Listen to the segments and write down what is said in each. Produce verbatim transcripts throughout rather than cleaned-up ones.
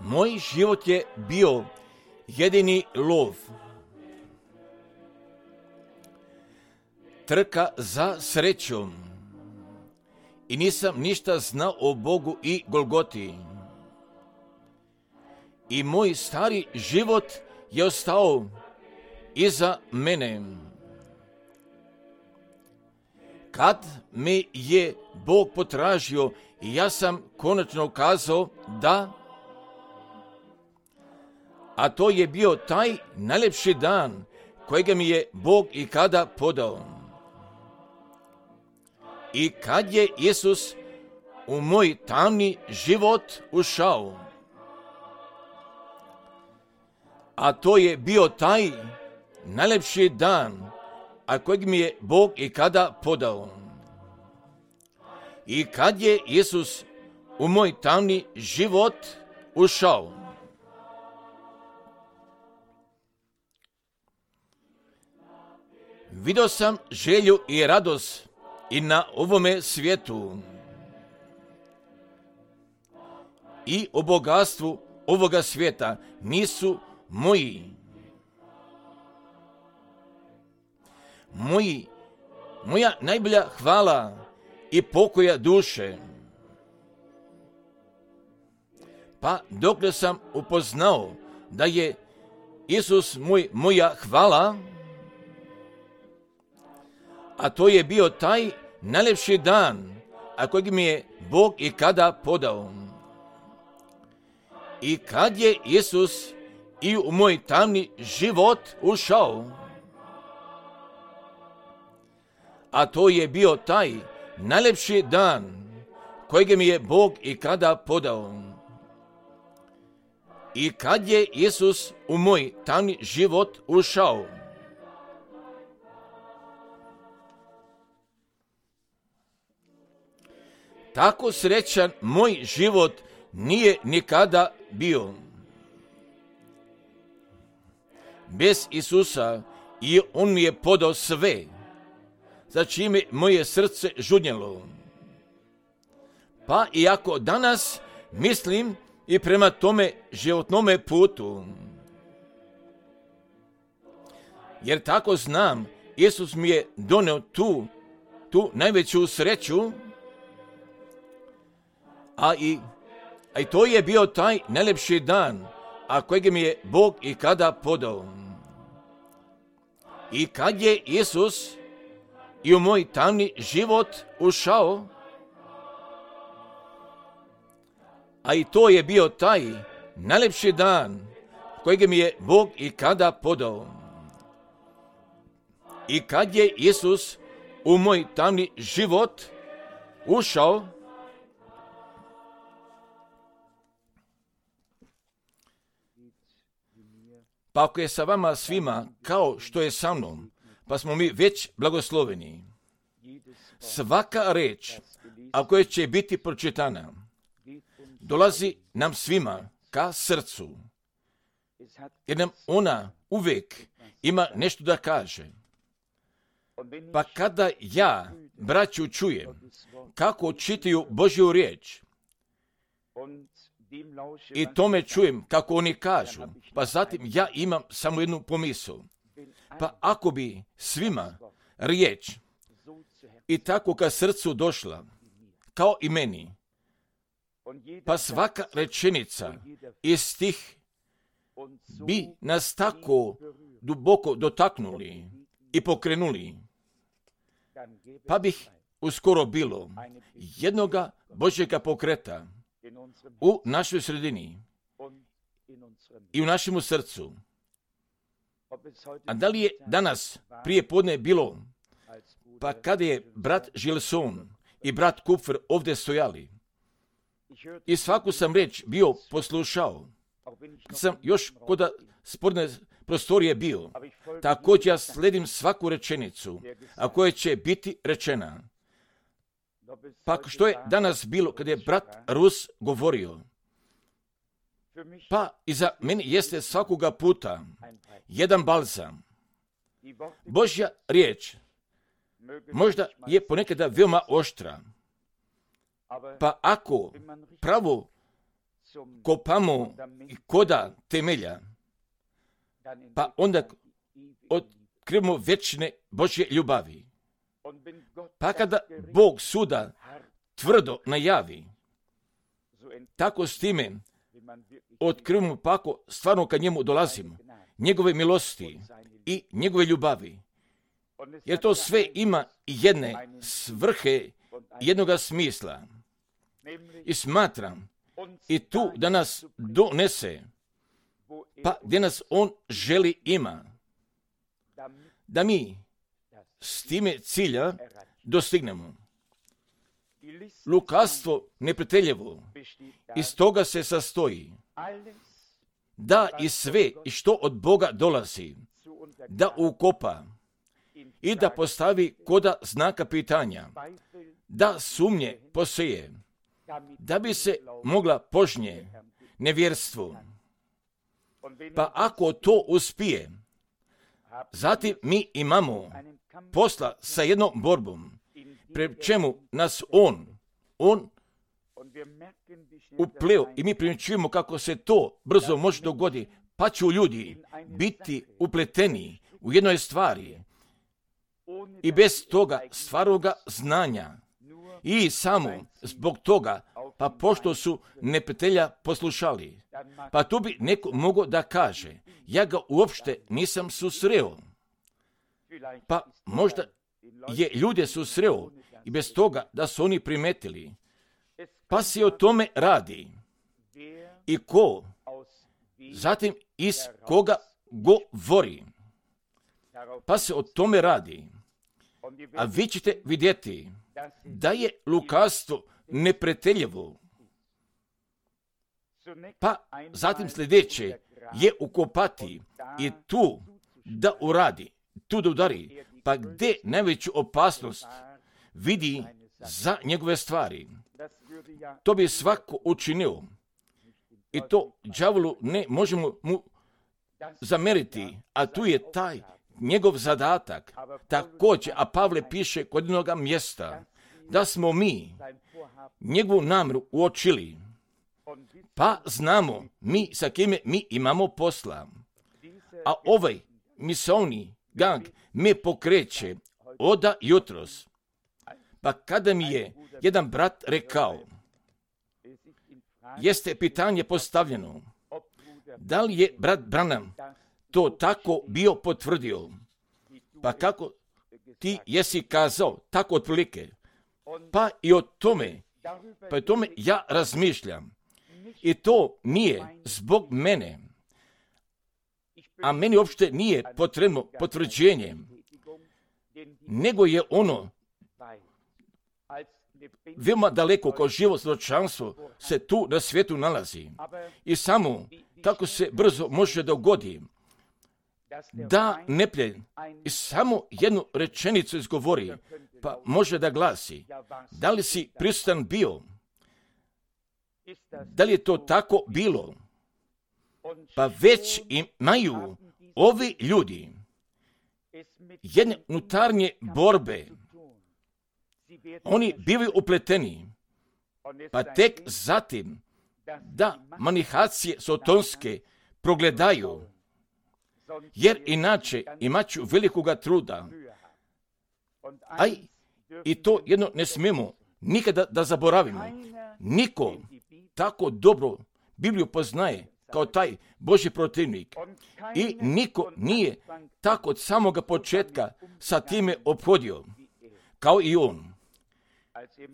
Moj život je bio jedini lov. Trka za srećom. I nisam ništa znao o Bogu i Golgoti. I moj stari život je ostao iza mene. Kad me je Bog potražio, ja sam konačno kazao da, a to je bio taj najljepši dan kojega mi je Bog i kada podao. I kad je Isus u moj tamni život ušao, a to je bio taj najljepši dan, a kojeg mi je Bog i kada podao. I kad je Isus u moj tamni život ušao, vidio sam želju i radost i na ovome svijetu i o bogatstvu ovoga svijeta nisu moji. Moji, moja najbolja hvala i pokoja duše. Pa dokle sam upoznao da je Isus moj, moja hvala, a to je bio taj najljepši dan, a kojeg mi je Bog i kada podao. I kad je Isus i u moj tamni život ušao, a to je bio taj najljepši dan kojeg mi je Bog i kada podao. I kad je Isus u moj tamni život ušao, tako srećan moj život nije nikada bio. Bez Isusa i on mi je podao sve, za čime moje srce žudnjelo. Pa iako danas mislim i prema tome životnome putu, jer tako znam, Isus mi je doneo tu, tu najveću sreću, a i, a i to je bio taj najljepši dan, a kojeg mi je Bog i kada podao. I kad je Isus i u moj tamni život ušao, a i to je bio taj najljepši dan kojeg mi je Bog i kada podao. I kad je Isus u moj tamni život ušao, pa ako je sa vama svima kao što je sa mnom, pa smo mi već blagosloveni. Svaka reč, a koja će biti pročitana, dolazi nam svima ka srcu, jer nam ona uvijek ima nešto da kaže. Pa kada ja, braću, čujem kako čitaju Božju riječ i tome čujem kako oni kažu, pa zatim ja imam samo jednu pomisao. Pa ako bi svima riječ i tako ka srcu došla, kao i meni, pa svaka rečenica i stih bi nas tako duboko dotaknuli i pokrenuli, pa bih uskoro bilo jednoga Božjega pokreta u našoj sredini i u našemu srcu. A da li je danas prije podne bilo, pa kada je brat Gilson i brat Kupfer ovdje stojali i svaku sam reč bio poslušao, kad sam još kod sporne prostorije bio, također ja sledim svaku rečenicu, a koja će biti rečena. Pa što je danas bilo kada je brat Rus govorio, pa i za meni jeste svakoga puta jedan balzam. Božja riječ možda je ponekada veoma oštra, pa ako pravo kopamo koda temelja, pa onda otkrivamo večne Božje ljubavi. Pa kada Bog suda tvrdo najavi, tako s time otkrivamo pako stvarno kad njemu dolazimo, njegove milosti i njegove ljubavi. Jer to sve ima jedne svrhe, jednoga smisla. I smatram i tu da nas donese, pa gdje nas on želi ima, da mi s time cilja dostignemo. Lukavstvo neprijateljevo iz toga se sastoji da i sve i što od Boga dolazi, da ukopa i da postavi koda znaka pitanja, da sumnje poseje, da bi se mogla požnje nevjerstvo. Pa ako to uspije, zatim mi imamo posla sa jednom borbom, pred čemu nas on, on upleo i mi primjećujemo kako se to brzo može dogoditi, pa će ljudi biti upleteni u jednoj stvari i bez toga stvaroga znanja i samo zbog toga, pa pošto su neprijatelja poslušali, pa tu bi neko mogao da kaže, ja ga uopšte nisam susreo. Pa možda je ljude susreo i bez toga da su oni primetili. Pa se o tome radi. I ko? Zatim iz koga govori. Pa se o tome radi. A vi ćete vidjeti da je lukavstvo neprijateljevo. Pa zatim sljedeće je ukopati i tu da uradi, tu da udari. Pa gdje najveću opasnost vidi za njegove stvari. To bi svako učinio. I to đavolu ne možemo mu zameriti, a tu je taj njegov zadatak. Također, a Pavle piše kod jednoga mjesta, da smo mi njegovu namjeru uočili, pa znamo mi sa kime mi imamo posla. A ovaj misaoni gang me pokreće oda jutros. Pa kada mi je jedan brat rekao, jeste pitanje postavljeno, da li je brat Branham to tako bio potvrdio? Pa kako ti jesi kazao, tako otprilike. Pa i o tome, pa i o tome ja razmišljam. I to nije zbog mene, a meni uopšte nije potrebno potvrđenje, nego je ono veoma daleko kao živo svjedočanstvo se tu na svijetu nalazi. I samo tako se brzo može dogodi da neprijatelj i samo jednu rečenicu izgovori, pa može da glasi, da li si prisutan bio? Da li je to tako bilo? Pa već imaju ovi ljudi jedne unutarnje borbe. Oni bivaju upleteni, pa tek zatim da manihacije sotonske progledaju, jer inače imat ću velikoga truda. Aj, i to jedno ne smijemo nikada da zaboravimo. Niko tako dobro Bibliju poznaje kao taj Božji protivnik. I niko nije tako od samoga početka sa time ophodio, kao i on.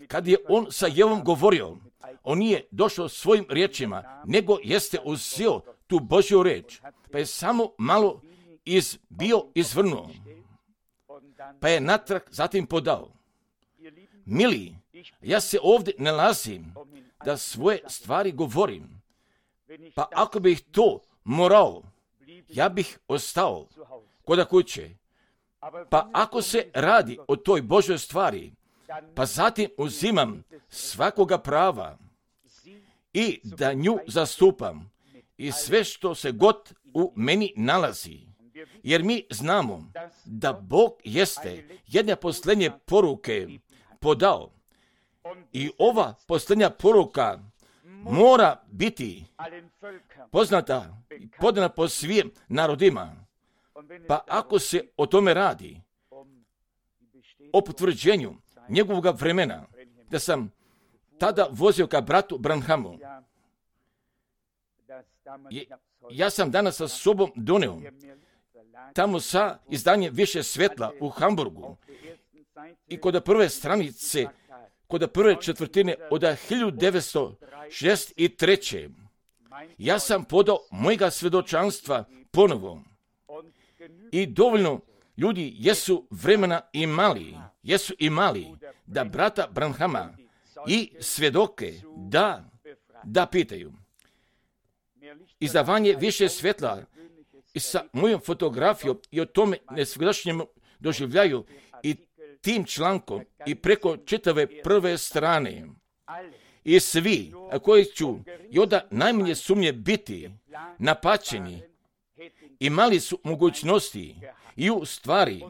Kad je on sa Jevom govorio, on nije došao svojim riječima, nego jeste uzeo tu Božju reč, pa je samo malo iz, bio izvrnuo, pa je natrag zatim podao. Mili, ja se ovdje nalazim da svoje stvari govorim, pa ako bih to morao, ja bih ostao kod kuće. Pa ako se radi o toj Božoj stvari, pa zatim uzimam svakoga prava i da nju zastupam i sve što se god u meni nalazi. Jer mi znamo da Bog jeste jedne posljednje poruke podao. I ova posljednja poruka mora biti poznata i podana po svim narodima. Pa ako se o tome radi, o potvrđenju njegovog vremena, da sam tada vozio ka bratu Branhamu, ja sam danas sa sobom doneo tamo sa izdanjem Više svjetla u Hamburgu i kod prve stranice, kod prve četvrtine od hiljadu devetsto šezdeset treće. Ja sam podao mojega svjedočanstva ponovo i dovoljno ljudi jesu vremena imali, jesu imali da brata Branhama i svjedoke da, da pitaju. Izdavanje Više svjetla i sa mojom fotografijom i o tome nesvjedočenjem doživljaju i tim člankom i preko čitave prve strane. I svi koji ću i onda najmanje sumnje biti napačeni imali su mogućnosti i u stvari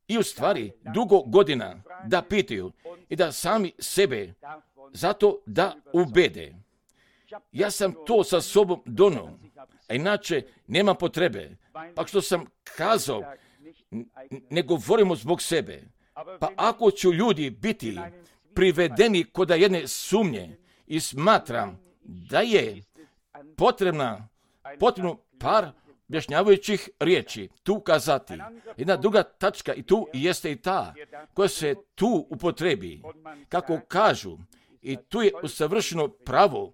i u stvari dugo godina da pitaju i da sami sebe zato da ubede. Ja sam to sa sobom donio, a inače nema potrebe. Pa što sam kazao, ne govorimo zbog sebe. Pa ako ću ljudi biti privedeni kod jedne sumnje i smatram da je potrebna, potrebno par objašnjavajućih riječi tu kazati. Jedna druga tačka i tu jeste i ta koja se tu upotrebi. Kako kažu, i tu je usavršeno pravo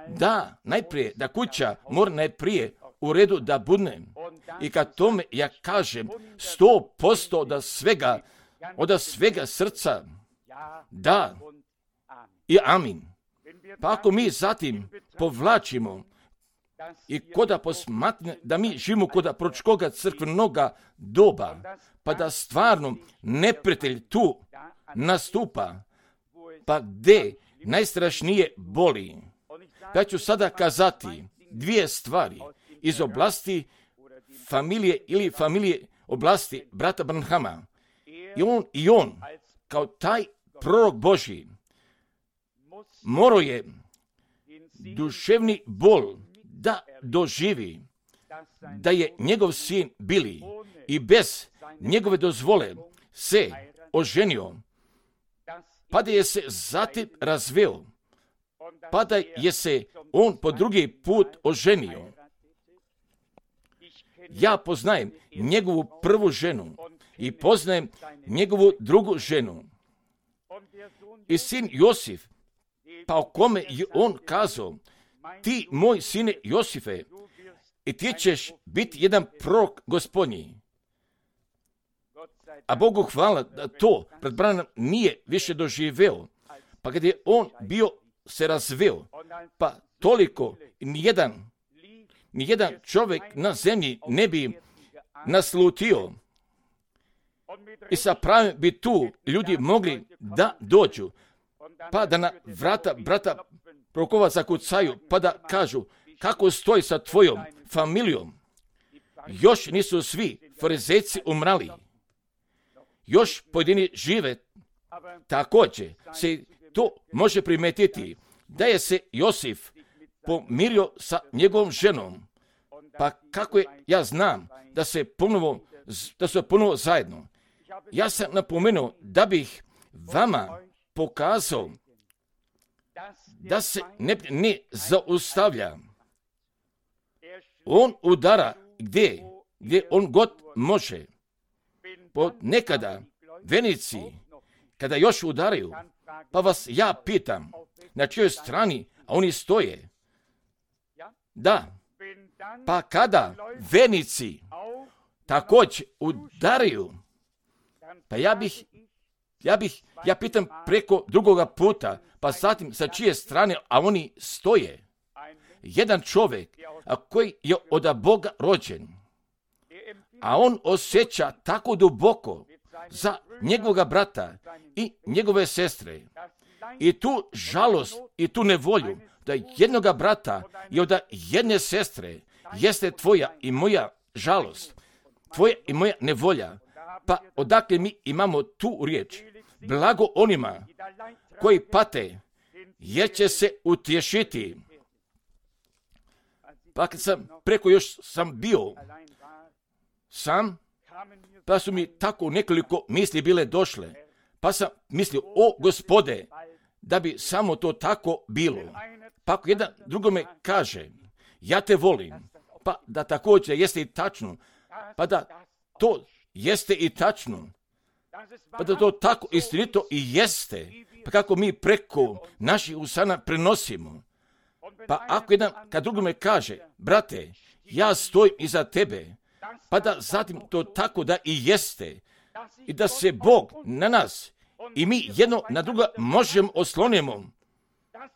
da najprije, da kuća mora najprije u redu da budne. I kad tome ja kažem sto posto da svega, od svega srca, da i amin. Pa ako mi zatim povlačimo i koda posmatne da mi živimo koda proročkoga crkvenoga doba, pa da stvarno neprijatelj tu nastupa, pa gde najstrašnije boli. Ja ću sada kazati dvije stvari iz oblasti familije ili familije oblasti brata Branhama. I on, i on kao taj prorok Božji morao je duševni bol da doživi da je njegov sin Bili i bez njegove dozvole se oženio, pa da je se zatim razveo, pa da je se on po drugi put oženio. Ja poznajem njegovu prvu ženu i poznajem njegovu drugu ženu. I sin Josif, pa o kome je on kazao, ti moj sine Josife, i ti ćeš biti jedan prorok Gospodnji. A Bogu hvala da to pred branom nije više doživeo, pa kad je on bio se razveo, pa toliko nijedan, nijedan čovjek na zemlji ne bi naslutio. I sa pravim bi tu ljudi mogli da dođu, pa da na vrata brata prorokova zakucaju, pa da kažu kako stoji sa tvojom familijom. Još nisu svi farizejci umrali. Još pojedini žive. Također se to može primetiti da je se Josif pomirio sa njegovom ženom. Pa kako je, ja znam da se ponovo, da su ponovo zajedno. Ja sam napomenuo da bih vama pokazao da se ne, ne zaustavlja. On udara gdje, gdje on god može. Po nekada venici, kada još udaraju, pa vas ja pitam, na čijoj strani, a oni stoje. Da, pa kada venici također udaraju, pa ja bih, ja bih, ja pitam preko drugoga puta, pa zatim sa čije strane, a oni stoje. Jedan čovjek, a koji je od Boga rođen, a on osjeća tako duboko za njegovoga brata i njegove sestre. I tu žalost i tu nevolju da jednoga brata i od jedne sestre jeste tvoja i moja žalost, tvoja i moja nevolja. Pa odakle mi imamo tu riječ? Blago onima koji pate jer će se utješiti. Pa kad sam preko još sam bio sam, pa su mi tako nekoliko misli bile došle. Pa sam mislio, o Gospode, da bi samo to tako bilo. Pa ako jedan drugome kaže, ja te volim, pa da također jeste i tačno, pa da to jeste i tačno, pa da to tako istinito i jeste, pa kako mi preko naših usana prenosimo. Pa ako jedan kad drugome kaže, brate, ja stojim iza tebe, pa da zatim to tako da i jeste, i da se Bog na nas i mi jedno na druga možemo oslonimo,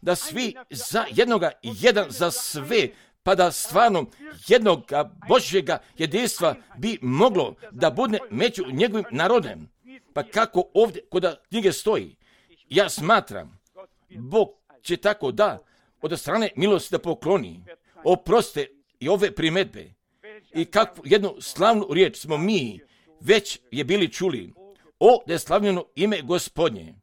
da svi za jednoga i jedan za sve, pa da stvarno jednog Božjega jedinstva bi moglo da bude među njegovim narodem. Pa kako ovdje kod knjige stoji, ja smatram, Bog će tako da od strane milosti da pokloni, oproste i ove primedbe. I kakvu jednu slavnu riječ smo mi već je bili čuli, o neslavljeno ime Gospodnje.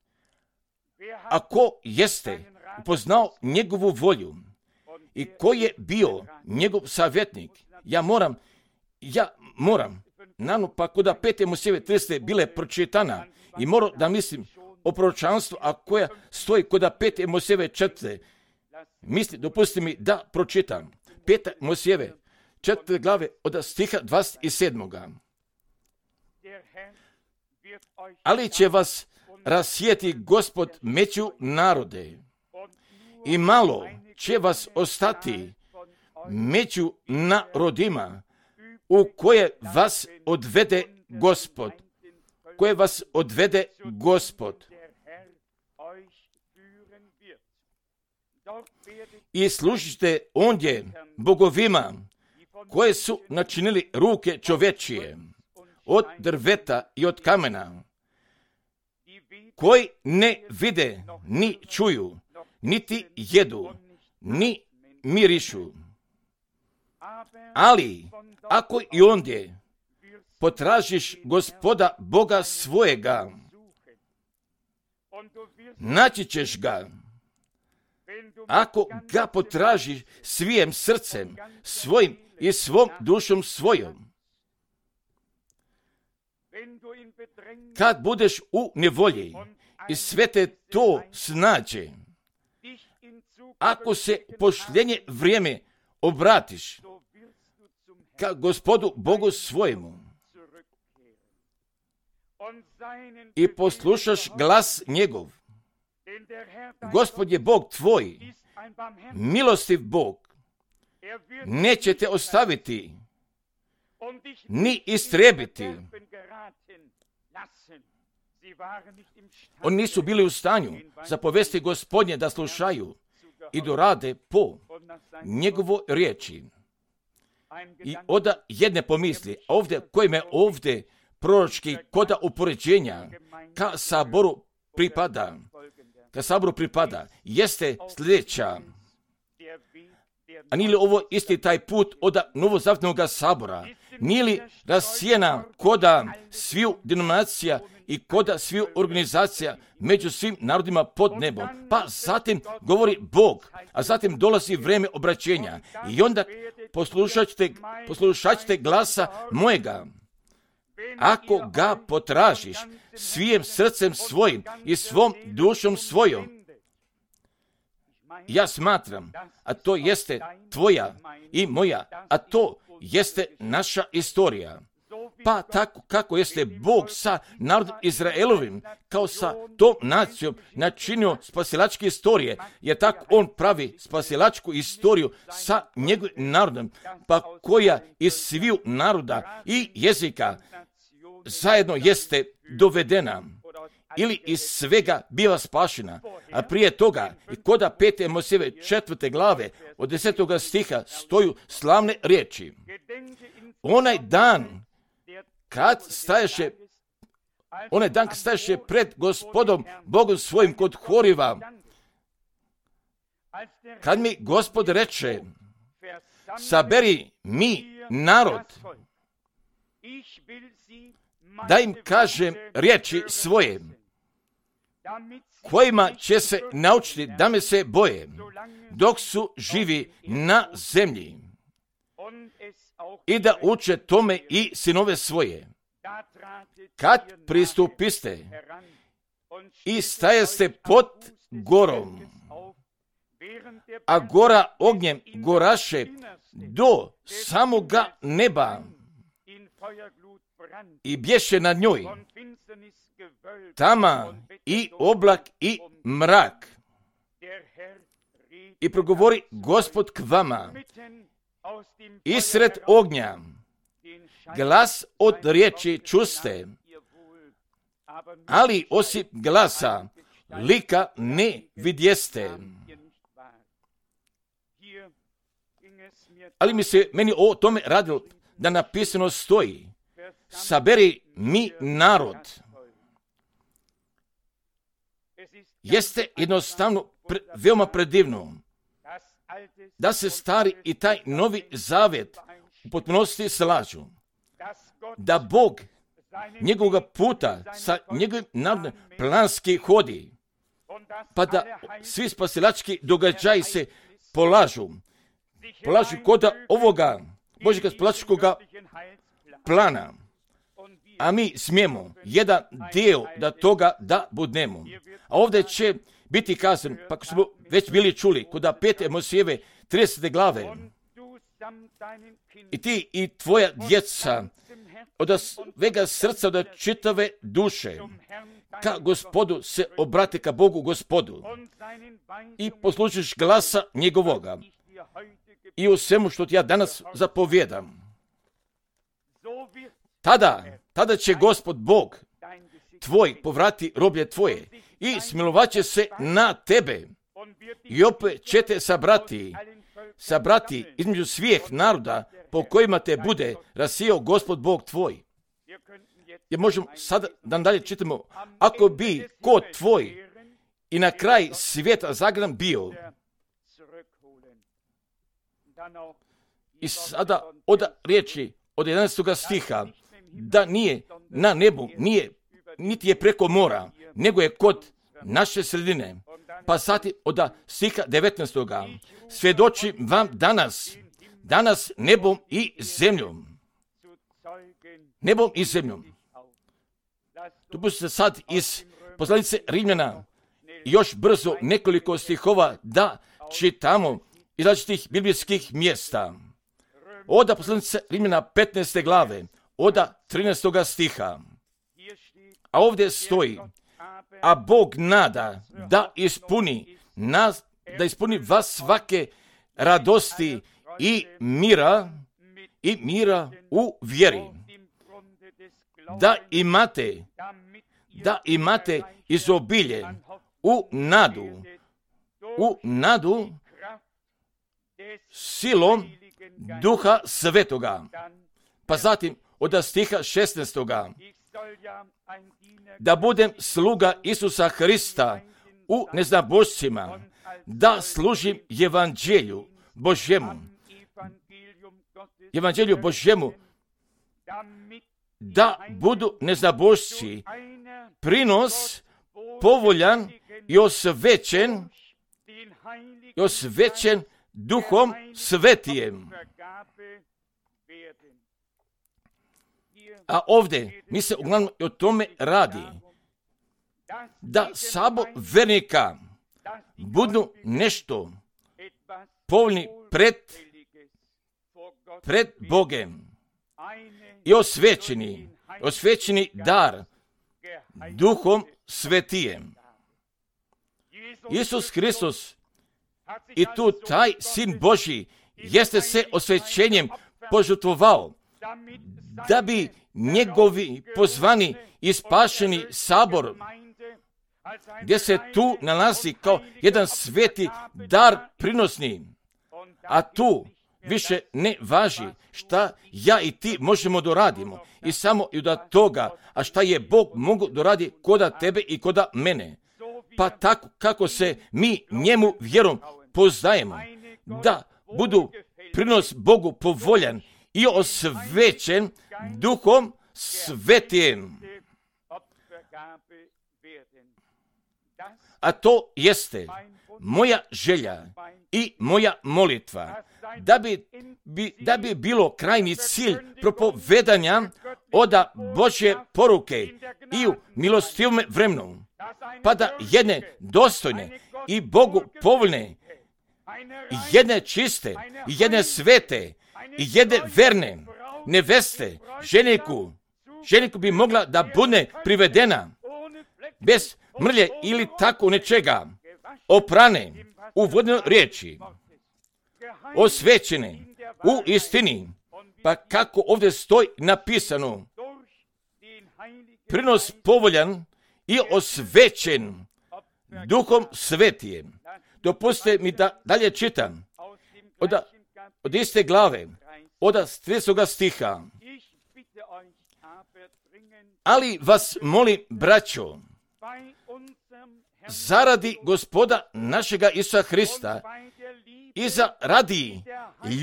A ko jeste upoznao njegovu volju i ko je bio njegov savjetnik, ja moram, ja moram, nano pa kod pete Mojsijeve trideset bile pročitana i moram da mislim o proročanstvu, a koja stoji kod pete Mojsijeve četvrte. Misli, dopusti mi da pročitam. Peta Mojsijeve četvrte glave od stiha dvadeset sedam. Ali će vas rasijeti Gospod među narode i malo će vas ostati među narodima u koje vas odvede Gospod, koje vas odvede Gospod. I služite ondje bogovima koje su načinili ruke čovečije, od drveta i od kamena, koji ne vide, ni čuju, niti jedu, ni mirišu. Ali, ako i ondje potražiš Gospoda Boga svojega, naći ćeš ga. Ako ga potražiš svijim srcem, svojim i svom dušom svojom. Kad budeš u nevolji i sve te to snađe, ako se u pošljenje vrijeme obratiš ka Gospodu Bogu svojemu i poslušaš glas njegov, Gospod je Bog tvoj, milostiv Bog, neće te ostaviti ni istrebiti. Oni nisu bili u stanju zapovesti Gospodnje da slušaju i dorade po njegovoj riječi. I oda jedne pomisli, ovdje koje me ovdje proročki koda upoređenja ka saboru pripada, ka saboru pripada, jeste sljedeća. A nije li ovo isti taj put od novozavjetnog sabora? Nije li rasijena koda sviju denominacija i koda sviju organizacija među svim narodima pod nebom? Pa zatim govori Bog, a zatim dolazi vrijeme obraćenja. I onda poslušat ćete, poslušat ćete glasa mojega. Ako ga potražiš svijim srcem svojim i svom dušom svojom, ja smatram, a to jeste tvoja i moja, a to jeste naša istorija. Pa tako kako jeste Bog sa narodom Izraelovim, kao sa tom nacijom načinio spasilačke istorije, jer tako on pravi spasilačku istoriju sa njegovim narodom, pa koja iz sviju naroda i jezika zajedno jeste dovedena ili iz svega biva spašena. A prije toga i koda pete Mojsijeve četvrte glave od desetoga stiha stoju slavne riječi. Onaj dan kad staješe, onaj dan kad staješe pred Gospodom Bogom svojim kod Horiva, kad mi Gospod reče, saberi mi narod, da im kažem riječi svoje. kojima će se naučiti da me se boje, dok su živi na zemlji, i da uče tome i sinove svoje. Kad pristupiste i stajaste pod gorom, a gora ognjem goraše do samoga neba i bješe nad njoj tama i oblak i mrak. I progovori Gospod k vama isred ognja, glas od riječi čuste, ali osim glasa lika ne vidjeste. Ali mi se meni o tome radilo da napisano stoji: saberi mi narod. Jeste jednostavno pre, veoma predivno da se stari i taj novi zavjet u potpunosti slažu, da Bog njegovog puta sa njegovim narodom planski hodi, pa da svi spasilački događaji se polažu, polažu kod ovoga Božjega spasilačkog plana, a mi smijemo jedan dio da toga da budemo. A ovdje će biti kazan, pa ako smo već bili čuli, kod pete Mojsijeve tridesete glave, i ti i tvoja djeca od svega srca, od čitave duše, ka Gospodu se obrate, ka Bogu Gospodu, i poslušiš glasa njegovoga i u svemu što ti ja danas zapovjedam. Tada, tada će Gospod Bog tvoj povrati roblje tvoje i smilovat će se na tebe i opet će te sabrati, sabrati između svih naroda po kojima te bude rasijao Gospod Bog tvoj. Jer možemo sada da dalje čitamo: ako bi kod tvoj i na kraj svijeta zagran bio. I sada od riječi od jedanaestog stiha, da nije na nebu, nije, niti je preko mora, nego je kod naše sredine. Pa sati od stiha devetnaestog svjedočim vam danas, danas nebom i zemljom. Nebom i zemljom. Dopustite sad iz poslanice Rimljana još brzo nekoliko stihova da čitamo iz različitih biblijskih mjesta. Oda poslanice Rimljana petnaeste glave, oda trinaestog stiha. A ovdje stoji: a Bog nada da ispuni nas, da ispuni vas svake radosti i mira i mira u vjeri, da imate da imate izobilje u nadu u nadu silom Duha Svetoga. Pa zatim od stiha šesnaestog da budem sluga Isusa Hrista u neznabošcima, da služim evanđelju Božjemu, evanđelju Božjemu, da budu neznabošci prinos povoljan i osvećen, i osvećen Duhom Svetijem. A ovdje mi se uglavnom o tome radi, da sabor vernika budu nešto povoljni pred, pred Bogem i osvećeni, osvećeni dar Duhom Svetijem. Isus Hristos i tu taj Sin Božji jeste se osvećenjem požrtvovao, da bi njegovi pozvani i spašeni sabor, gdje se tu nalazi kao jedan sveti dar prinosni, a tu više ne važi šta ja i ti možemo doradimo i samo i od toga, a šta je Bog mogu doradi koda tebe i koda mene. Pa tako kako se mi njemu vjerom poznajemo, da budu prinos Bogu povoljan i osvećen Duhom Svetijem. a to jeste moja želja i moja molitva, da bi, bi, da bi bilo krajnji cilj propovedanja oda Božje poruke i u milostivom vremenu, pa da jedne dostojne i Bogu povoljne, jedne čiste, jedne svete, jedne verne neveste, ženiku, ženiku bi mogla da bude privedena bez mrlje ili tako nečega, oprane u vodnoj riječi, osvećene u istini, pa kako ovdje stoji napisano, prinos povoljan i osvećen Duhom Svetijem. Dopustite mi da dalje čitam od, od iste glave, od tridesetoga stiha. Ali vas molim, braćo, zaradi Gospoda našega Isusa Hrista i zaradi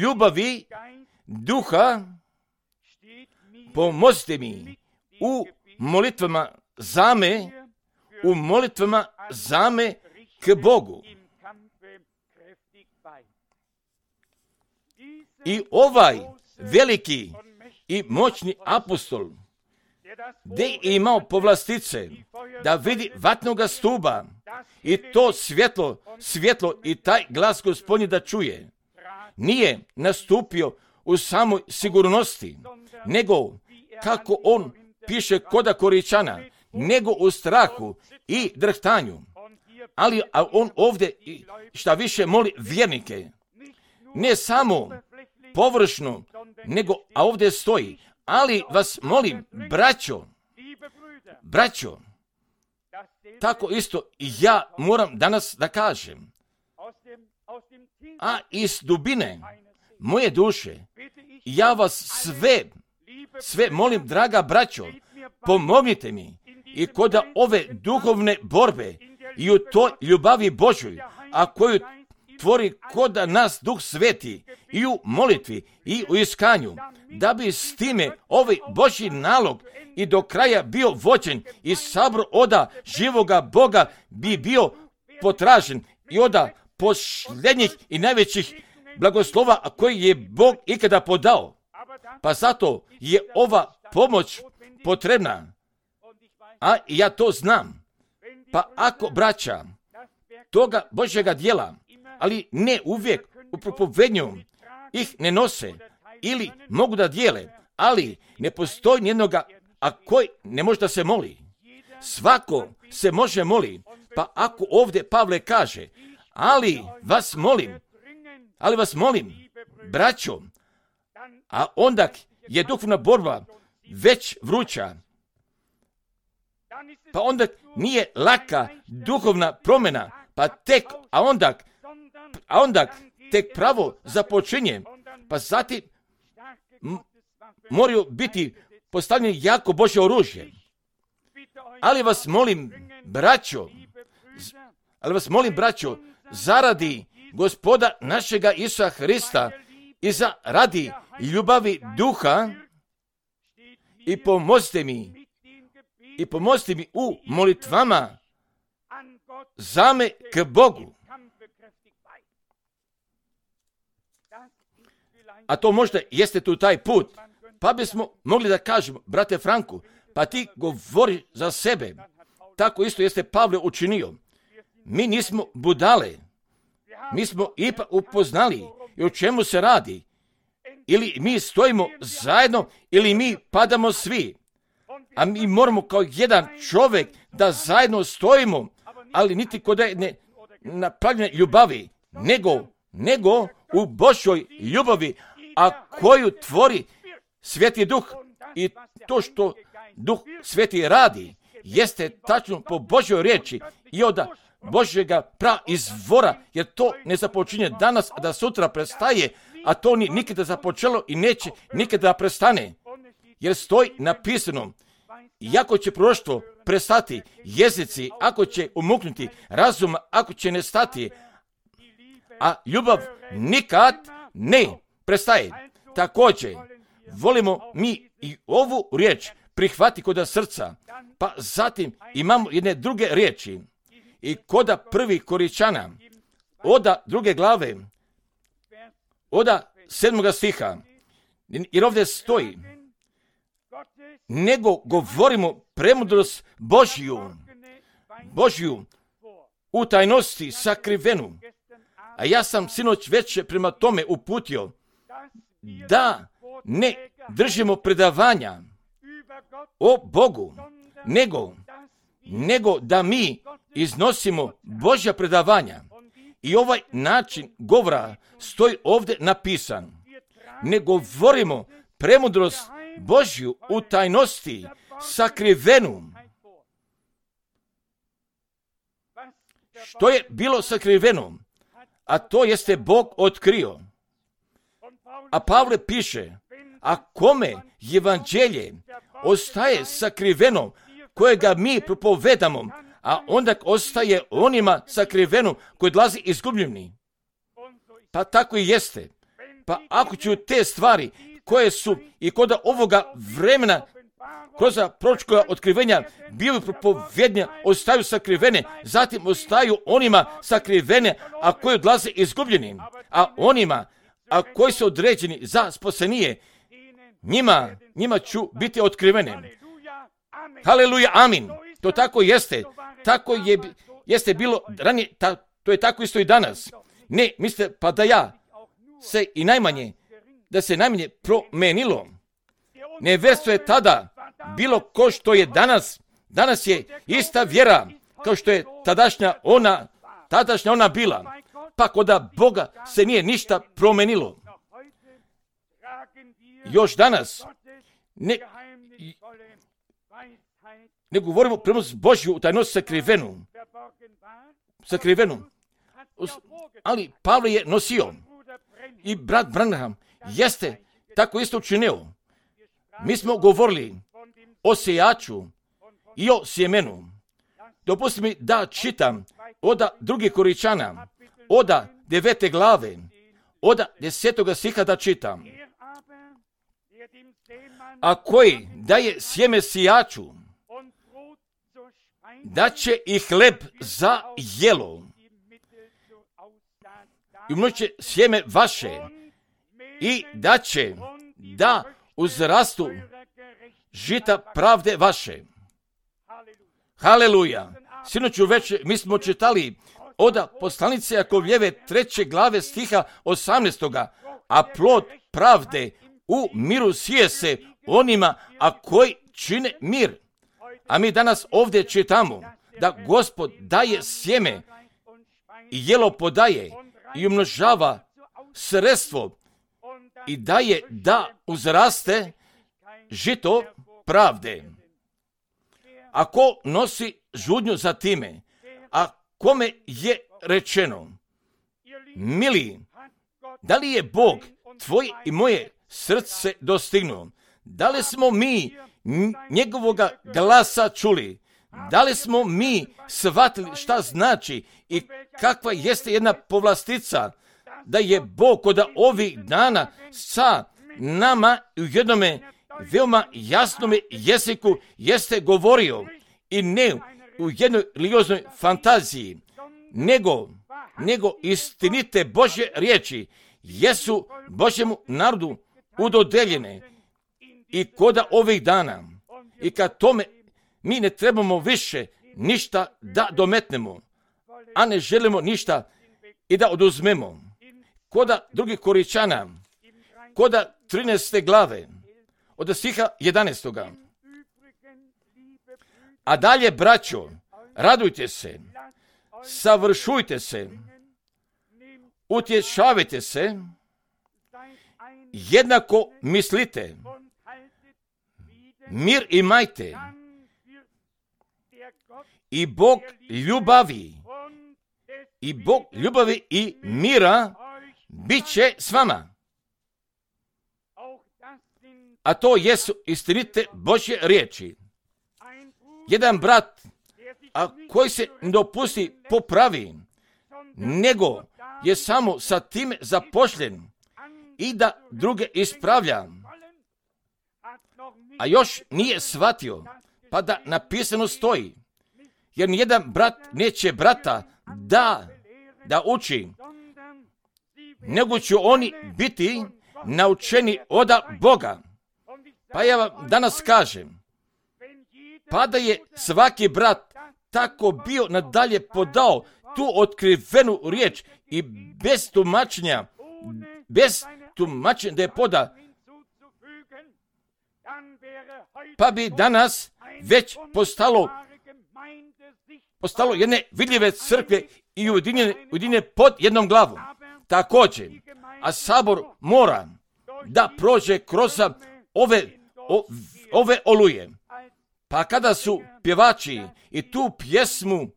ljubavi Duha, pomozite mi u molitvama za me, u molitvama za me k Bogu. I ovaj veliki i moćni apostol, gdje je imao povlastice da vidi vatnoga stuba i to svjetlo, svjetlo i taj glas Gospodnji da čuje, nije nastupio u samoj sigurnosti, nego kako on piše koda Koričana, nego u strahu i drhtanju. Ali a on ovdje šta više moli vjernike, ne samo površno, nego a ovdje stoji, ali vas molim, braćo, braćo, tako isto ja moram danas da kažem, a iz dubine moje duše, ja vas sve, sve molim, draga braćo, pomognite mi i kod ove duhovne borbe i u toj ljubavi Božoj, a koju tvori kod nas Duh Sveti i u molitvi i u iskanju, da bi s time ovaj Božji nalog i do kraja bio vođen i sabor oda živoga Boga bi bio potražen i oda posljednjih i najvećih blagoslova koji je Bog ikada podao. Pa zato je ova pomoć potrebna, a ja to znam. Pa ako braća toga Božjega djela, ali ne uvijek u propovednju ih ne nose ili mogu da dijele, ali ne postoji nijednoga, a koji ne može da se moli. Svako se može moli, pa ako ovdje Pavle kaže, ali vas molim, ali vas molim, braćo, a onda je duhovna borba već vruća, pa onda nije laka duhovna promjena, pa tek, a onda, a onda tek pravo započinje, pa zatim m- moraju biti postavljeni jako Božje oružje. Ali vas molim, braćo, ali vas molim, braćo, zaradi Gospoda našega Isusa Hrista i zaradi ljubavi Duha i pomozite mi, i pomozite mi u molitvama za me k Bogu. A to možda jeste tu taj put, pa bismo mogli da kažemo, brate Franku, pa ti govori za sebe. Tako isto jeste Pavle učinio. Mi nismo budale, mi smo ipak upoznali i o čemu se radi. Ili mi stojimo zajedno, ili mi padamo svi. A mi moramo kao jedan čovjek da zajedno stojimo, ali niti kod jedne napravljene ljubavi, nego, nego u Božoj ljubavi, a koju tvori Sveti Duh. I to što Duh Sveti radi, jeste tačno po Božoj riječi i od Božjega pra izvora, jer to ne započinje danas, a da sutra prestaje, a to ni nikada započelo i neće nikada prestane. Jer stoji napisano, iako će proroštvo prestati, jezici ako će umuknuti, razum ako će nestati, a ljubav nikad ne prestaje. Također, volimo mi i ovu riječ prihvati kod srca, pa zatim imamo jedne druge riječi. I koda prvi Koričana, oda druge glave, oda sedmoga stiha, jer ovdje stoji, nego govorimo premudrost Božju, Božju u tajnosti sakrivenu. A ja sam sinoć već prema tome uputio da ne držimo predavanja o Bogu, nego, nego da mi iznosimo Božja predavanja. I ovaj način govora stoji ovdje napisan. Ne govorimo premudrost Božju u tajnosti sakrivenu. Što je bilo sakriveno? A to jeste Bog otkrio. A Pavle piše, a kome evanđelje ostaje sakriveno, kojega mi propovedamo, a onda ostaje onima sakriveno koji dolazi izgubljeni. Pa tako i jeste. Pa ako ću te stvari koje su i kod ovoga vremena kroz proročka otkrivenja bili propovednja, ostaju sakrivene, zatim ostaju onima sakrivene, a koji odlaze izgubljeni, a onima a koji su određeni za spasenije, njima, njima ću biti otkrivene. Haleluja, amin. To tako jeste. Tako je, jeste bilo ranije, ta, to je tako isto i danas. Ne, mislite, pa da ja se i najmanje, da se najmanje promenilo. Neverstvo je tada bilo ko što je danas. Danas je ista vjera kao što je tadašnja ona, tadašnja ona bila. Pa koda Boga se nije ništa promenilo. Još danas ne, ne govorimo premudrost Božju u tajnosti sakrivenu. Sakrivenu. Ali Pavle je nosio. I brat Branham jeste tako isto učinio. Mi smo govorili o sejaču i o sjemenu. Dopusti mi da čitam oda drugih Koričana, oda devete glave, oda desetoga stiha da čitam. A koji daje sjeme sijaču, da će i hleb za jelo. I umnoće sjeme vaše i da će da uzrastu žita pravde vaše. Haleluja. Sinoću već mi smo čitali oda poslanice Jakovljeve treće glave stiha osamnaestoga. A plod pravde u miru sije se onima, a koji čine mir. A mi danas ovdje čitamo da Gospod daje sjeme i jelo podaje i umnožava sredstvo i daje da uzraste žito pravde. Ako nosi žudnju za time, a kome je rečeno, mili, da li je Bog tvoje i moje srce dostignuo? Da li smo mi njegovoga glasa čuli? Da li smo mi shvatili šta znači i kakva jeste jedna povlastica da je Bog kod ovih dana sa nama u jednome veoma jasnome jeziku jeste govorio i ne u jednoj religioznoj fantaziji, nego, nego istinite Božje riječi jesu Božjemu narodu udodeljene i koda ovih dana. I kad tome mi ne trebamo više ništa da dometnemo, a ne želimo ništa i da oduzmemo. Koda drugih Koričana, koda trinaeste glave, od stiha jedanaestoga. A dalje, braćo, radujte se, savršujte se, utješavajte se, jednako mislite, mir imajte, i Bog ljubavi, i Bog ljubavi i mira bit će s vama. A to jesu istinite Božje riječi. Jedan brat, a koji se ne dopusti popravi, nego je samo sa time zapošljen i da druge ispravlja, a još nije shvatio, pa da napisano stoji, jer nijedan brat neće brata da, da uči, nego će oni biti naučeni od Boga. Pa ja vam danas kažem, pa da je svaki brat tako bio nadalje podao tu otkrivenu riječ i bez tumačenja, bez tumačenja da je poda, pa bi danas već postalo, postalo jedne vidljive crkve i ujedinjene, ujedinjene pod jednom glavom. Također, a sabor mora da prođe kroz ove, o, ove oluje. Pa kada su pjevači i tu pjesmu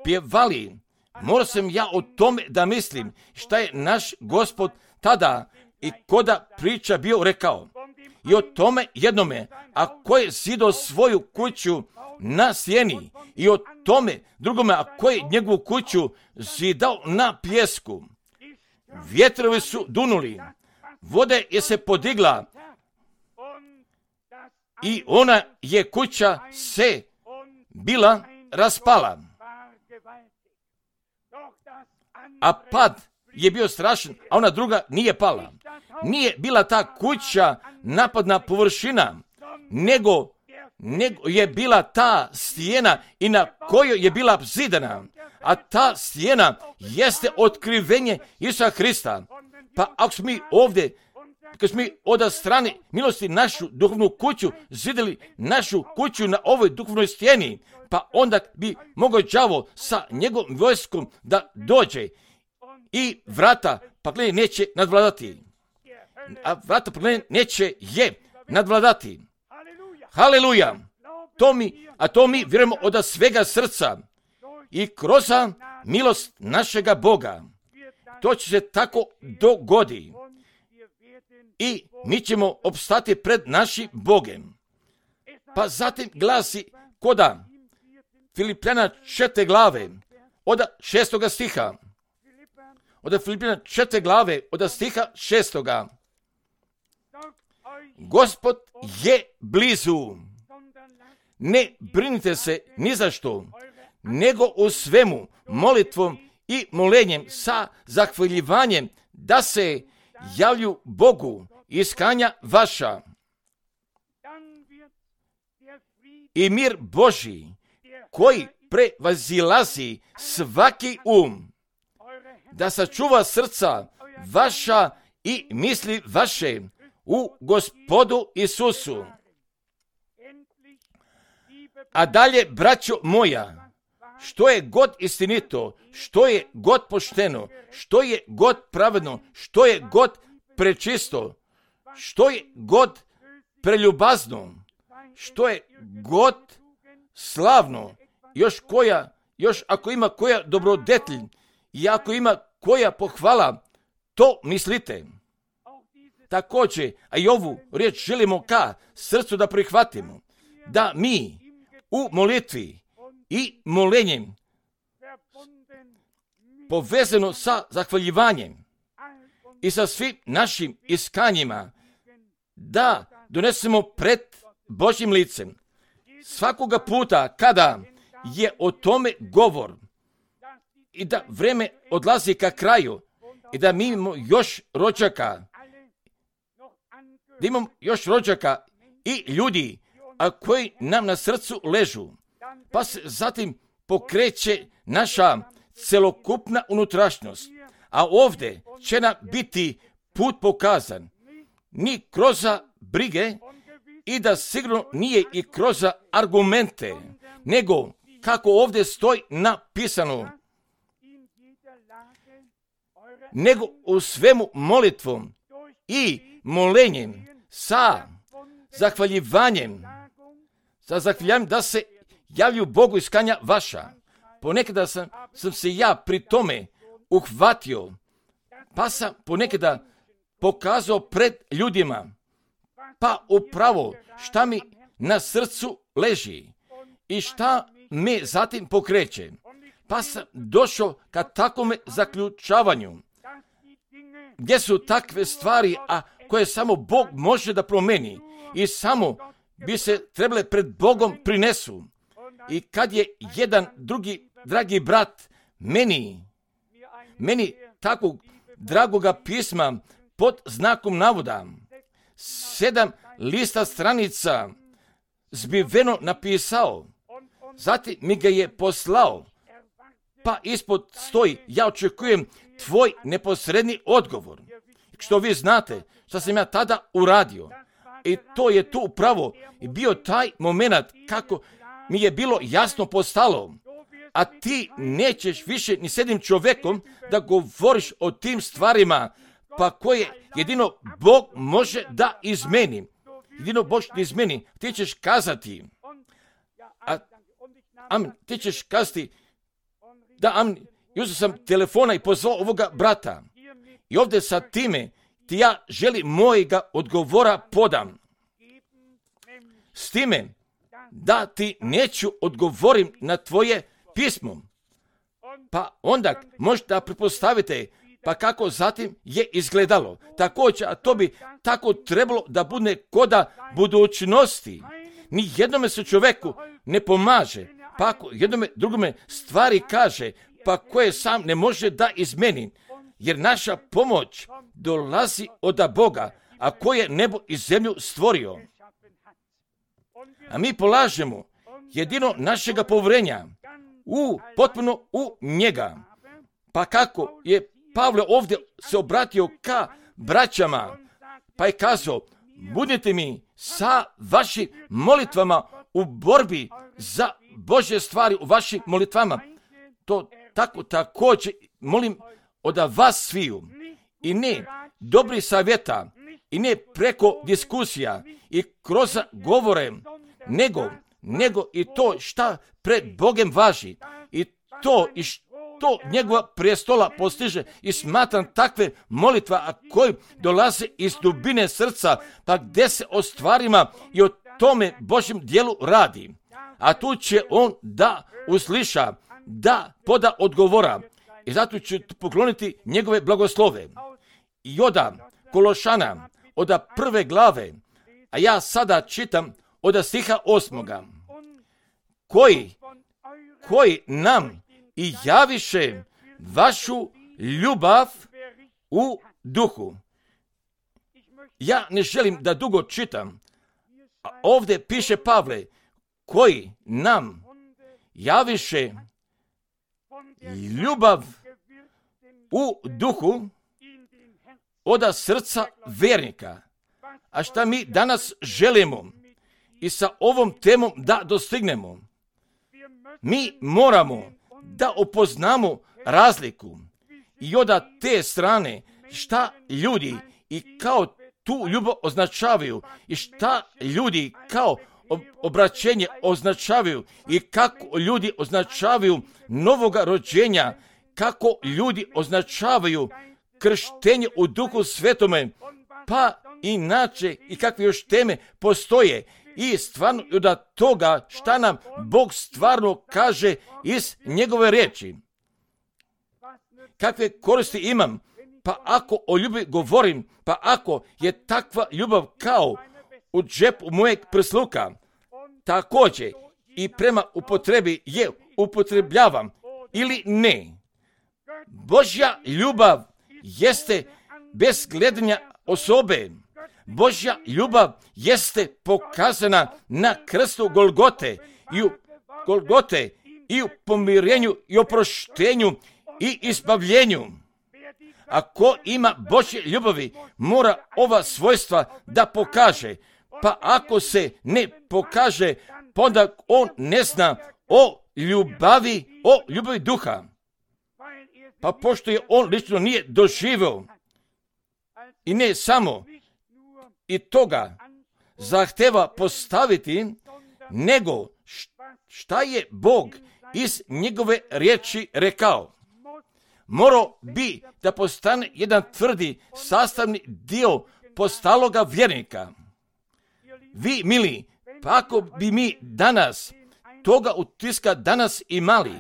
pjevali, morao sam ja o tome da mislim šta je naš Gospod tada i koda priča bio rekao. I o tome jednome, a ko je zidao svoju kuću na sjeni, i o tome drugome, a ko je njegovu kuću zidao na pjesku. Vjetrovi su dunuli, vode je se podigla i ona je kuća se bila raspala. A pad je bio strašan, a ona druga nije pala. Nije bila ta kuća napadna površina, nego, nego je bila ta stijena i na kojoj je bila zidana. A ta stijena jeste otkrivenje Isusa Hrista. Pa ako smo mi ovdje, kad smo mi od strane milosti našu duhovnu kuću zidali našu kuću na ovoj duhovnoj stijeni, pa onda bi mogao đavo sa njegovom vojskom da dođe i vrata paklenje neće nadvladati. A vrata paklenje neće je nadvladati. Haleluja! To mi, a to mi vjerujemo od svega srca i kroz milost našega Boga. To će se tako dogodi. I mi ćemo opstati pred našim Bogem. Pa zatim glasi koda Filipljana četiri glave od šestoga stiha. Od Filipljana četiri glave od stiha šestoga. Gospod je blizu. Ne brinite se ni za što, nego u svemu molitvom i molenjem sa zahvaljivanjem da se javlju Bogu iskanja vaša. I mir Božji, koji prevazilazi svaki um, da sačuva srca vaša i misli vaše u Gospodu Isusu. A dalje, braćo moja, što je god istinito, što je god pošteno, što je god pravedno, što je god prečisto, što je god preljubazno, što je god slavno, još koja, još ako ima koja dobrodetlj i ako ima koja pohvala, to mislite. Također, a i ovu riječ želimo ka srcu da prihvatimo, da mi u molitvi i molenjem povezano sa zahvaljivanjem i sa svim našim iskanjima, da donesemo pred Božjim licem. Svakoga puta kada je o tome govor i da vreme odlazi ka kraju i da mi imamo još rođaka, da imamo još rođaka i ljudi, a koji nam na srcu ležu, pa se zatim pokreće naša celokupna unutrašnjost, a ovdje će nam biti put pokazan, ni kroz brige i da sigurno nije i kroz argumente, nego kako ovdje stoji napisano, nego u svemu molitvom i molenjem sa zahvaljivanjem, sa zahvaljivanjem da se javlju Bogu iskanja vaša. Ponekada sam, sam se ja pri tome uhvatio, pa sam ponekada pokazao pred ljudima, pa upravo šta mi na srcu leži i šta me zatim pokreće. Pa sam došao ka takvome zaključavanju, gdje su takve stvari, a koje samo Bog može da promeni i samo bi se trebale pred Bogom prinesu. I kad je jedan drugi dragi brat meni, meni takvog dragoga pisma pod znakom navoda, sedam lista stranica zbiveno napisao, zatim mi ga je poslao, pa ispod stoji, ja očekujem tvoj neposredni odgovor. Što vi znate, što sam ja tada uradio. I to je tu upravo i bio taj moment kako mi je bilo jasno postalo. A ti nećeš više ni s jednim čovjekom da govoriš o tim stvarima, pa koje jedino Bog može da izmeni. Jedino Bog da izmeni. Ti ćeš kazati, a, amen, ti ćeš kazati, da, amen, uzeo sam telefona i pozvao ovoga brata. I ovdje sa time ti ja želim mojega odgovora podam. S time da ti neću odgovorim na tvoje pismo. Pa onda možete pretpostavite pa kako zatim je izgledalo. Također, a to bi tako trebalo da bude koda budućnosti. Ni jednome se čovjeku ne pomaže, pa ako jednome drugome stvari kaže, pa koje sam ne može da izmeni. Jer naša pomoć dolazi od Boga, a koji je nebo i zemlju stvorio. A mi polažemo jedino našega povjerenja u, potpuno u njega. Pa kako je Pavle ovdje se obratio ka braćama, pa je kazao, budite mi sa vašim molitvama u borbi za Božje stvari u vašim molitvama. To tako također molim od vas sviju. I ne dobri savjeta, i ne preko diskusija i kroz govore, nego, nego i to šta pred Bogem važi. I to i što njegova prijestola postiže i smatram takve molitva, a koji dolaze iz dubine srca, pa gdje se o stvarima i o tome Božjem dijelu radi. A tu će on da usliša, da poda odgovora. I zato ću pokloniti njegove blagoslove. I oda Kološana, oda prve glave, a ja sada čitam oda stiha osmoga, koji, koji nam i javiše vašu ljubav u duhu. Ja ne želim da dugo čitam, a ovdje piše Pavle, koji nam javiše ljubav u duhu oda srca vjernika. A šta mi danas želimo i sa ovom temom da dostignemo? Mi moramo da upoznamo razliku i od te strane šta ljudi i kao tu ljubav označavaju i šta ljudi kao obraćenje označavaju i kako ljudi označavaju novoga rođenja, kako ljudi označavaju krštenje u Duhu Svetome, pa inače i kakve još teme postoje. I stvarno od toga šta nam Bog stvarno kaže iz njegove riječi. Kakve koristi imam? Pa ako o ljubavi govorim, pa ako je takva ljubav kao u džepu mojeg prsluka, također i prema upotrebi je upotrebljavam ili ne. Božja ljubav jeste bez gledanja osobe. Božja ljubav jeste pokazana na krstu Golgote i u Golgote i u pomirenju i oproštenju i izbavljenju. Ako ima Božje ljubavi, mora ova svojstva da pokaže. Pa ako se ne pokaže, pa onda on ne zna o ljubavi, o ljubavi duha. Pa pošto je on lično nije doživio i ne samo i toga zahteva postaviti, nego šta je Bog iz njegove riječi rekao. Morao bi da postane jedan tvrdi sastavni dio postaloga vjernika. Vi, mili, pa ako bi mi danas toga utiska danas imali,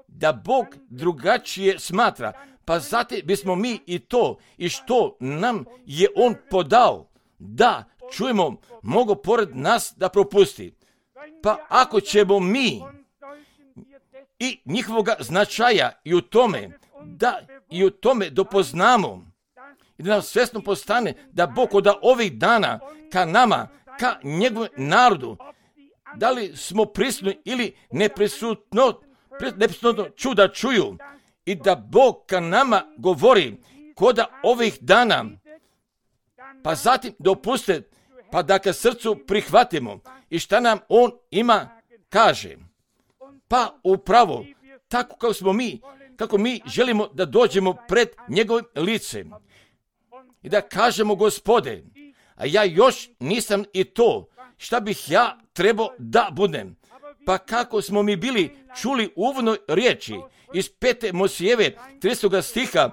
da Bog drugačije smatra, pa zato bismo mi i to i što nam je on podao, da čujemo, mogu pored nas da propusti. Pa ako ćemo mi i njihovoga značaja i u tome, da i u tome dopoznamo i da nam svjesno postane da Bog od ovih dana ka nama, ka njegovom narodu, da li smo prisutni ili neprisutno, neprisutno čuda čuju i da Bog ka nama govori koda ovih dana, pa zatim dopuste, pa da ka srcu prihvatimo i šta nam on ima kaže. Pa upravo tako kako smo mi, kako mi želimo da dođemo pred njegovim licem i da kažemo Gospode, a ja još nisam i to šta bih ja trebao da budem. Pa kako smo mi bili čuli u uvodnoj riječi iz pete Mojsijeve tridesetog stiha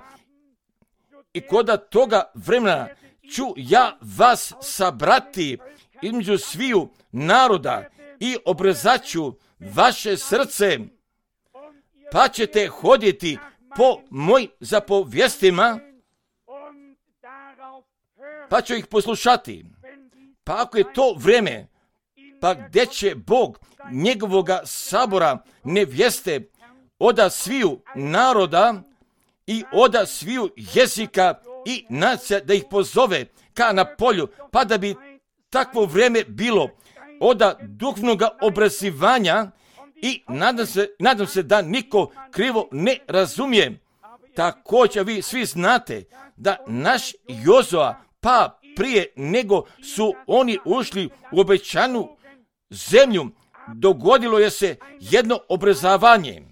i koda toga vremena ću ja vas sabrati između sviju naroda i obrezat vaše srce, pa ćete hoditi po mojim zapovjestima, pa ću ih poslušati. Pa ako je to vrijeme, pa gdje će Bog njegovoga sabora nevjeste oda sviju naroda i oda sviju jezika i nacija da ih pozove ka na polju, pa da bi takvo vrijeme bilo oda duhovnoga obrazivanja i nadam se, nadam se da niko krivo ne razumije. Također vi svi znate da naš Jozua, pa prije nego su oni ušli u obećanu zemlju, dogodilo je se jedno obrazovanje.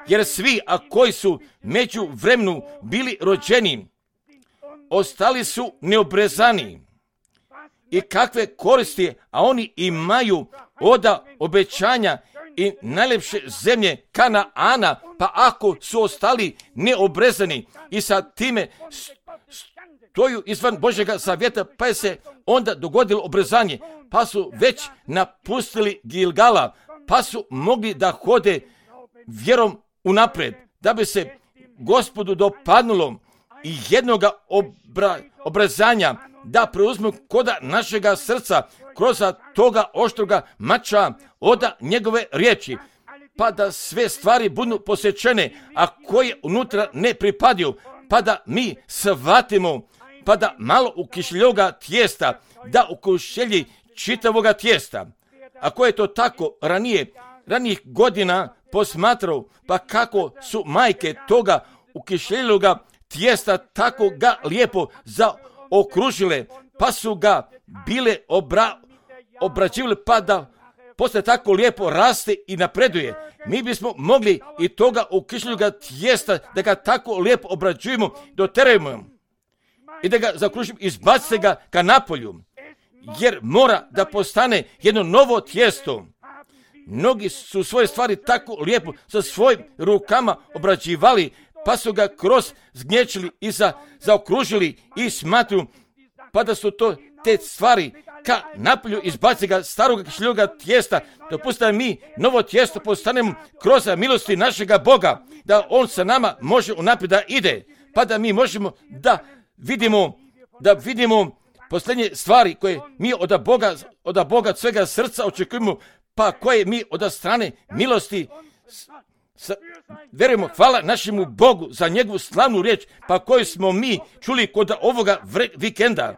Jer svi, a koji su među vremenu bili rođeni, ostali su neobrezani. I kakve koristi, a oni imaju oda obećanja i najljepše zemlje Kanaana, pa ako su ostali neobrezani i sa time stoju izvan Božjega zavjeta, pa je se onda dogodilo obrezanje, pa su već napustili Gilgala, pa su mogli da hode vjerom unaprijed, da bi se Gospodu dopadnulo i jednoga obra, obrezanja da preuzmu koda našega srca kroz toga oštroga mača oda njegove riječi, pa da sve stvari budu posjećene, a koje unutra ne pripadaju, pa da mi shvatimo, pa da malo u kišljoga tijesta, da u kišlji čitavoga tijesta. Ako je to tako ranije, ranijih godina posmatrao, pa kako su majke toga u kišljoga tijesta tako ga lijepo zaokružile, pa su ga bile obra, obrađivale, pa da posle tako lijepo raste i napreduje. Mi bismo mogli i toga u kišljoga tijesta da ga tako lijepo obrađujemo, doterujemo i da ga zaokružimo, izbacite ga ka napolju, jer mora da postane jedno novo tijesto. Mnogi su svoje stvari tako lijepo sa svojim rukama obrađivali, pa su ga kroz zgnječili i za, zaokružili i smatruju, pa da su to te stvari ka napolju izbaci ga starog kišljoga tijesta, dopustite mi novo tijesto postanemo kroz milosti našega Boga, da on sa nama može unaprijed da ide, pa da mi možemo da vidimo, da vidimo posljednje stvari koje mi od Boga, od Boga svega srca očekujemo, pa koje mi od strane milosti s, verujemo, hvala našemu Bogu za njegovu slavnu riječ, pa koju smo mi čuli kod ovoga vre, vikenda.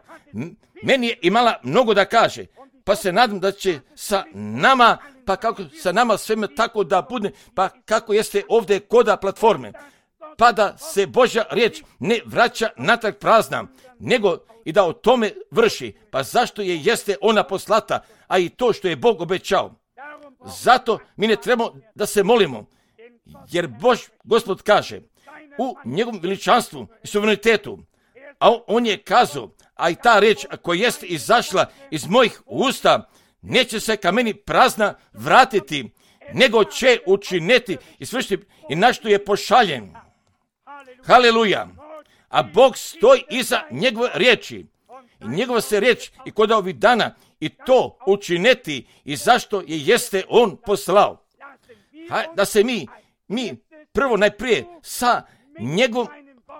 Meni je imala mnogo da kaže, pa se nadam da će sa nama, pa kako sa nama sveme tako da bude, pa kako jeste ovdje koda platforme, pa da se Božja riječ ne vraća natrag prazna, nego i da o tome vrši, pa zašto je jeste ona poslata, a i to što je Bog obećao. Zato mi ne trebamo da se molimo, jer Bož, Gospod kaže, u njegovom veličanstvu i suverenitetu, a on je kazao, a i ta riječ koja jest izašla iz mojih usta, neće se ka meni prazna vratiti, nego će učiniti i svršiti i na što je pošaljen. Haleluja! A Bog stoji iza njegove riječi. I njegova se riječ i kod ovih dana i to učiniti i zašto je jeste on poslao. Ha, da se mi, mi prvo najprije sa njegovom,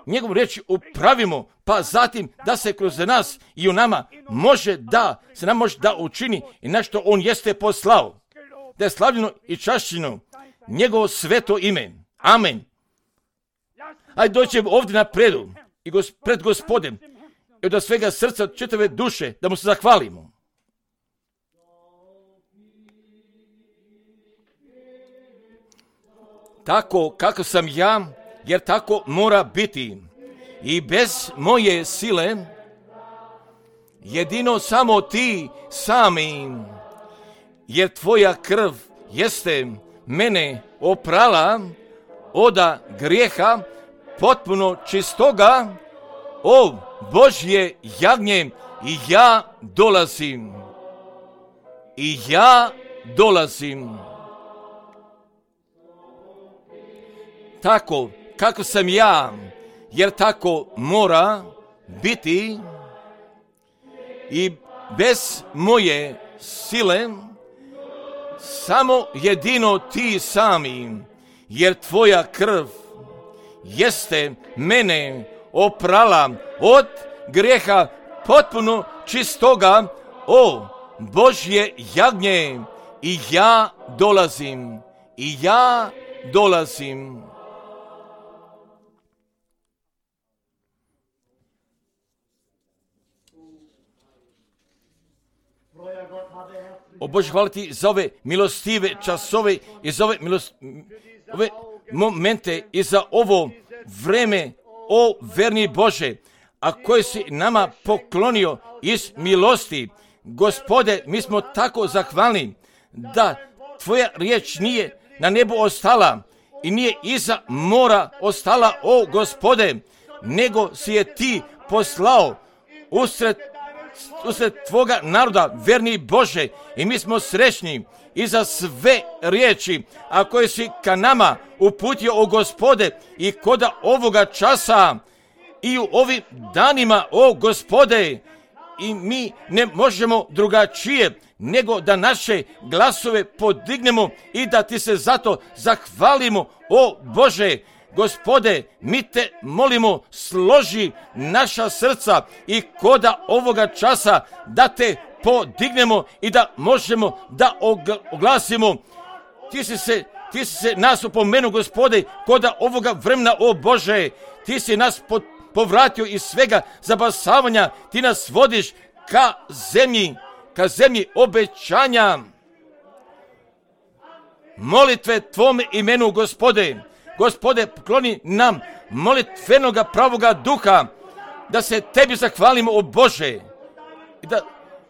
njegovom riječi upravimo, pa zatim da se kroz nas i u nama može da, se nam može da učini i na što on jeste poslao. Da je slavljeno i čašćeno njegovo sveto ime. Amen. Ajde doćemo ovdje na predu i gos, pred Gospodem i od svega srca, od čitave duše, da mu se zahvalimo. Tako kako sam ja, jer tako mora biti. I bez moje sile, jedino samo ti sami, jer tvoja krv jeste mene oprala oda grijeha potpuno čistoga, o Božje jagnje, i ja dolazim. I ja dolazim. Tako kako sam ja, jer tako mora biti. I bez moje sile, samo jedino ti sami, jer tvoja krv jeste mene oprala od grijeha potpuno čistoga, o Božje jagnje, i ja dolazim. I ja dolazim. O Bože, hvala ti za ove milostive časove i za ove, milost, ove momente i za ovo vreme, o verni Bože, a koje si nama poklonio iz milosti. Gospode, mi smo tako zahvalni da tvoja riječ nije na nebu ostala i nije iza mora ostala, o Gospode, nego si je ti poslao usred usred tvoga naroda, verni Bože, i mi smo srećni i za sve riječi, a koje si ka nama uputio, o Gospode, i koda ovoga časa i u ovim danima, o Gospode, i mi ne možemo drugačije nego da naše glasove podignemo i da ti se zato zahvalimo, o Bože. Gospode, mi te molimo, složi naša srca i koda ovoga časa da te podignemo i da možemo da oglasimo. Ti si se, ti si se nas upomenu, Gospode, koda ovoga vremena, o Bože. Ti si nas po, povratio iz svega zabasavanja. Ti nas vodiš ka zemlji, ka zemlji obećanja. Molitve tvome imenu, Gospode. Gospode, pokloni nam molitvenoga pravoga duha, da se tebi zahvalimo, o Bože, i da,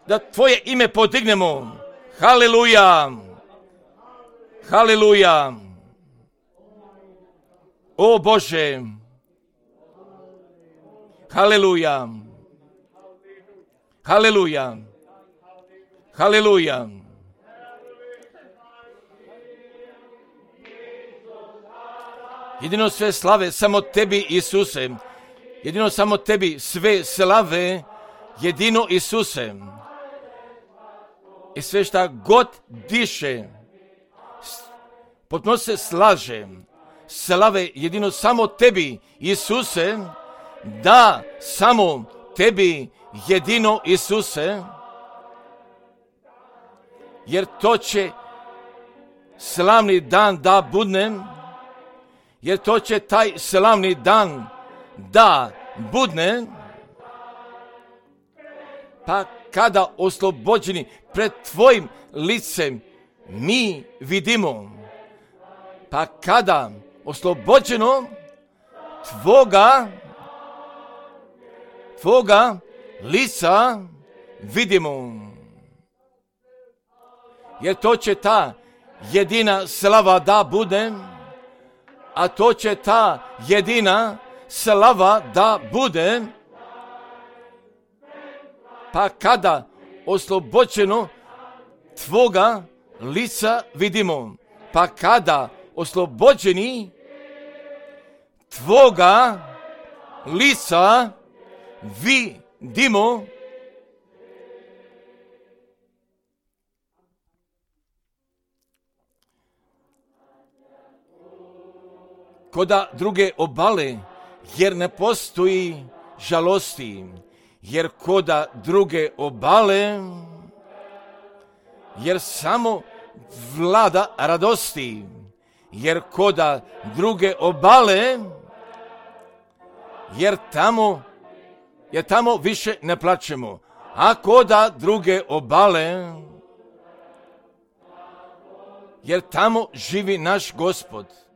da tvoje ime podignemo. Haleluja! Haleluja! O Bože! Haleluja! Haleluja! Haleluja! Jedino sve slave samo tebi, Isuse. Jedino samo tebi sve slave, jedino Isuse. I sve šta god diše, potpuno se slaže. Slave jedino samo tebi, Isuse. Da, samo tebi, jedino Isuse. Jer to će slavni dan da budne. Jer to će taj slavni dan da budne, pa kada oslobođeni pred tvojim licem mi vidimo, pa kada oslobođeno tvoga, tvoga lica vidimo. Jer to će ta jedina slava da bude, a to će ta jedina slava da bude, pa kada oslobođeno tvoga lica vidimo, pa kada oslobođeni tvoga lica vidimo, koda druge obale, jer ne postoji žalosti, jer koda druge obale, jer samo vlada radosti, jer koda druge obale, jer tamo, jer tamo više ne plačemo, a koda druge obale, jer tamo živi naš Gospod.